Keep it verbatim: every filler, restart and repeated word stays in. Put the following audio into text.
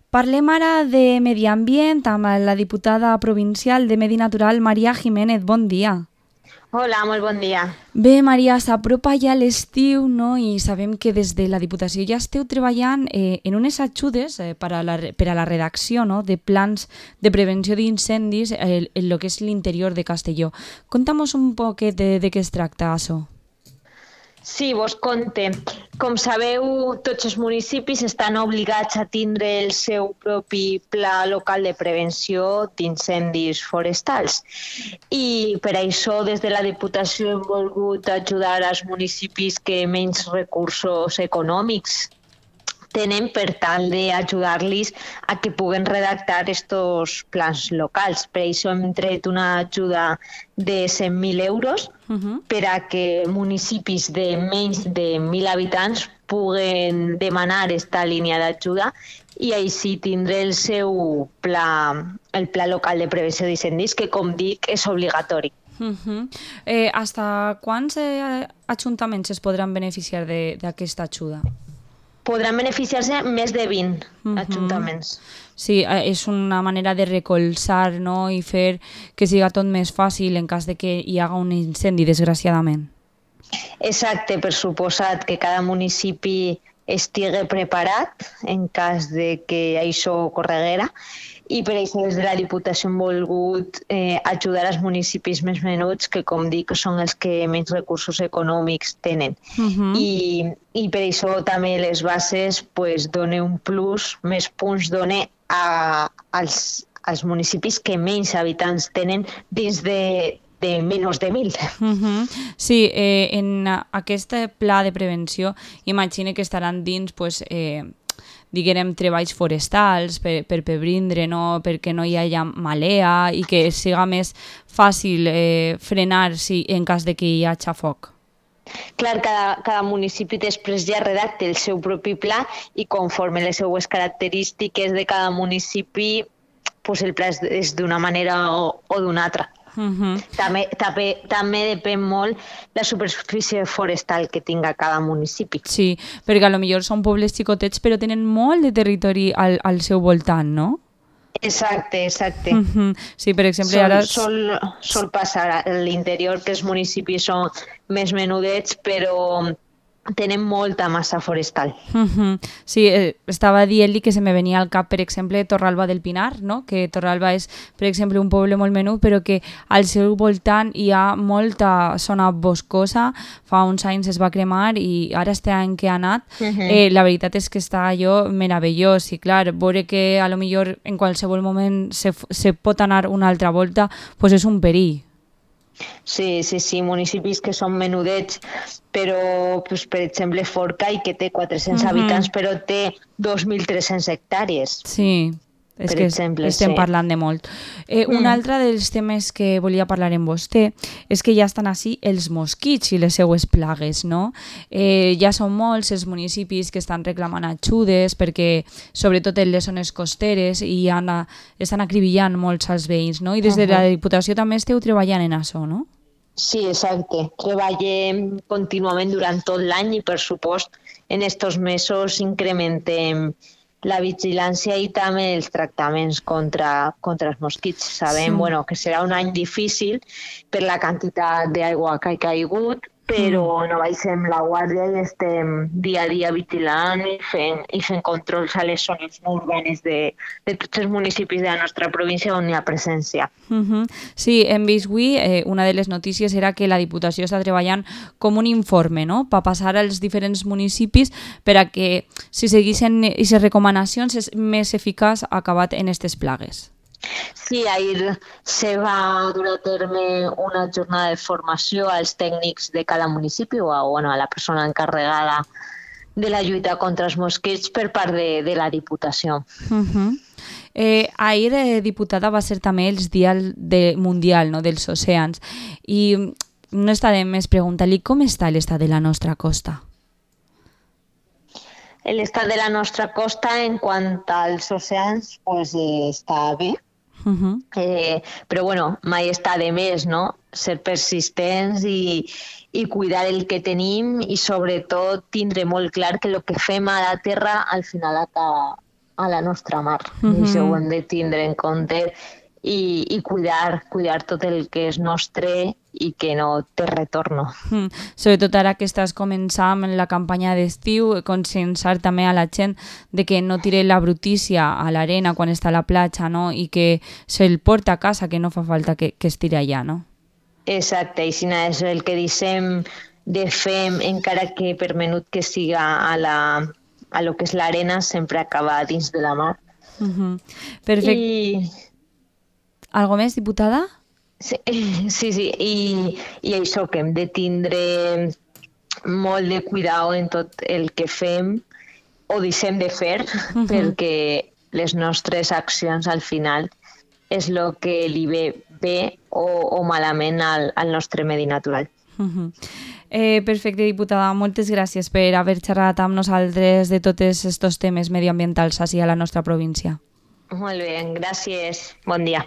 Parlem ara de medi ambient amb la diputada provincial de Medi Natural, Maria Jiménez. Bon dia. Hola, molt bon dia. Bé, Maria, s'apropa ja l'estiu, no? I sabem que des de la Diputació ja esteu treballant eh, en unes ajudes eh, per, a la, per a la redacció, no?, de plans de prevenció d'incendis eh, en el que és l'interior de Castelló. Conta'mos un poquet de, de què es tracta, això. Sí, vos conte. Com sabeu, tots els municipis estan obligats a tindre el seu propi pla local de prevenció d'incendis forestals. I per això, des de la Diputació hem volgut ajudar als municipis que menys recursos econòmics tenen per tal d'ajudar-los a que puguen redactar estos plans locals. Per això hem tret una ajuda de cent mil euros Uh-huh. per a que municipis de menys de mil habitants puguen demanar esta línia d'ajuda i així tindre el seu pla, el pla local de prevenció d'incendis, que, com dic, és obligatori. Uh-huh. eh, hasta quants eh, ajuntaments es podran beneficiar d'aquesta ajuda? Podran beneficiar-se més de vint Uh-huh. ajuntaments. Sí, eh, és una manera de recolzar, no?, i fer que siga tot més fàcil en cas de que hi haga un incendi, desgraciadament. Exacte, per suposat que cada municipi estigui preparat en cas de que això ocorreguera, i per això des de la Diputació hem volgut eh, ajudar als municipis més menuts, que, com dic, són els que menys recursos econòmics tenen. Uh-huh. I, i per això també les bases pues, dona un plus, més punts dona a, als, als municipis que menys habitants tenen dins de, de menys de mil. Uh-huh. Sí, eh, en aquest pla de prevenció imagine que estaran dins pues, eh, diguem, treballs forestals per, per prevenir, no?, perquè no hi hagi malea i que siga més fàcil eh, frenar si, en cas de que hi hagi foc. Clar, cada, cada municipi després ja redacta el seu propi pla i conforme les seues característiques de cada municipi, pues el pla és, és d'una manera o, o d'una altra. Uh-huh. També, també, també depèn molt la superfície forestal que tinga cada municipi. Sí, perquè a lo millor són pobles xicotets però tenen molt de territori al, al seu voltant, no? Exacte, exacte. Uh-huh. Sí, per exemple, Sol, ara... sol, sol passar a l'interior que els municipis són més menudets, però tenen molta massa forestal. Uh-huh. Sí, eh, estava dient-li que se me venia al cap, per exemple, Torralba del Pinar, no?, que Torralba és, per exemple, un poble molt menut, però que al seu voltant hi ha molta zona boscosa. Fa uns anys es va cremar i ara este any que ha anat, Uh-huh. eh, la veritat és que està allò meravellós i, clar, veure que a lo millor en qualsevol moment se, se pot anar una altra volta, pues és un perill. Sí, sí, sí, municipis que són menudets, però, pues, per exemple, Forcall, que té quatre-cents Mhm. habitants, però té dos mil tres-cents hectàrees. Sí, és Per que exemple, estem sí. parlant de molt. Eh, un Mm. altre dels temes que volia parlar amb vostè és que ja estan així els mosquits i les seues plagues, no? Eh, ja són molts els municipis que estan reclamant ajudes perquè, sobretot en les zones costeres, i han, estan acribillant molts als veïns, no? I des de la Diputació també esteu treballant en això, no? Sí, exacte. Treballem contínuament durant tot l'any i, per supost, en estos mesos incrementem la vigilància i també els tractaments contra, contra els mosquits. Sabem Sí. bueno, que serà un any difícil per la quantitat d'aigua que ha caigut, però no baixem la guàrdia i estem dia a dia vigilant i fent, i fent controls a les zones no urbanes de, de tots els municipis de la nostra província on hi ha presència. Uh-huh. Sí, hem vist avui, eh, una de les notícies era que la Diputació està treballant com un informe, no?, per passar als diferents municipis per a que, si seguissin aquestes recomanacions, és més eficaç acabat en aquestes plagues. Sí, ahir se va dur a terme una jornada de formació als tècnics de cada municipi o a, bueno, a la persona encarregada de la lluita contra els mosquits per part de, de la Diputació. Uh-huh. Eh, ahir, eh, diputada, va ser també el Dia de, Mundial, no?, dels oceans, i no està de més preguntar-li com està l'estat de la nostra costa. L'estat de la nostra costa en quant als oceans pues, eh, està bé. Uh-huh. Eh, però bueno, mai està de més, no? Ser persistents i, i cuidar el que tenim i sobretot tindre molt clar que el que fem a la terra al final acaba, a la nostra mar. Mhm. I això ho hem de tindre en compte i, i cuidar, cuidar tot el que és nostre i que no té retorno. Mm. Sobretot ara que estàs començant en la campanya d'estiu, conscienciar també a la gent de que no tire la brutícia a l'arena quan està a la platja, no? I que se'l porta a casa, que no fa falta que, que es tire allà, no? Exacte, i si no és el que dissem de fem, encara que per menut que siga a, la, a lo que és l'arena, sempre acaba dins de la mar. Mhm. Perfecte. I... Algo més, diputada? Sí, sí, sí. I, i això, que hem de tindre molt de cuidado en tot el que fem o deixem de fer, Mhm. perquè les nostres accions al final és el que li ve bé o, o malament al, al nostre medi natural. Mhm. Eh, perfecte, diputada. Moltes gràcies per haver xerrat amb nosaltres de tots aquests temes medioambientals així a la nostra província. Molt bé, gràcies. Bon dia.